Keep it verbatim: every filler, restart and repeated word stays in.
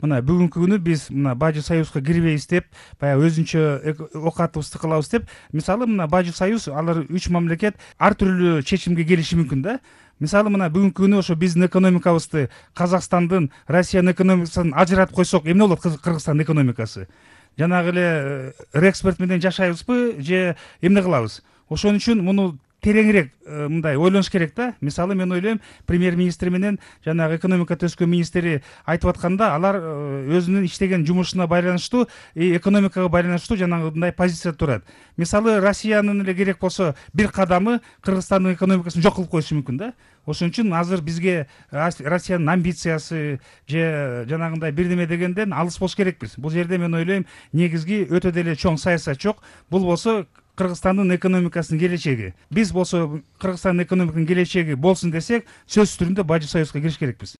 Мына бүгүнкү күнү биз мына Бажы Союзга кирбейбиз деп, баягы өзүнчө оокатыбызды кылабыз деп, мисалы мына Бажы Союз алар үч мамлекет ар түрдүү чечимге келиши мүмкүн да. Мисалы мына бүгүнкү күнү ошо биздин экономикабызды Казакстандын, Россиянын экономикасын ажыратып койсок, эмне болот Кыргызстандын экономикасы? Жанагы эле реэкспорт менен жашайбызбы же эмне кылабыз? Ошон үчүн муну тереңирээк мындай ойлонуш керек да. Мисалы мен ойлойм, премьер-министр менен жанагы экономика төзкөн министри айтып атканда, алар өзүнүн иштеген жумушуна байланыштуу, экономикага байланыштуу жанагындай позицияда турат. Мисалы Россиянын эле керек болсо бир кадамы Кыргызстандын экономикасын жок кылып коюшу мүмкүн да. Ошон үчүн азыр бизге Россиянын амбициясы же жанагындай бирдеме дегенден алыс болуш керекпиз. Бул жерде мен ойлойм, негизги өтө деле чоң саясат жок. Бул болсо Кыргызстандын экономикасынын келечеги. Биз болсо Кыргызстандын экономикасынын келечеги болсун десек, сөзсүз түрдө Бажы Союзга кириш керекпиз.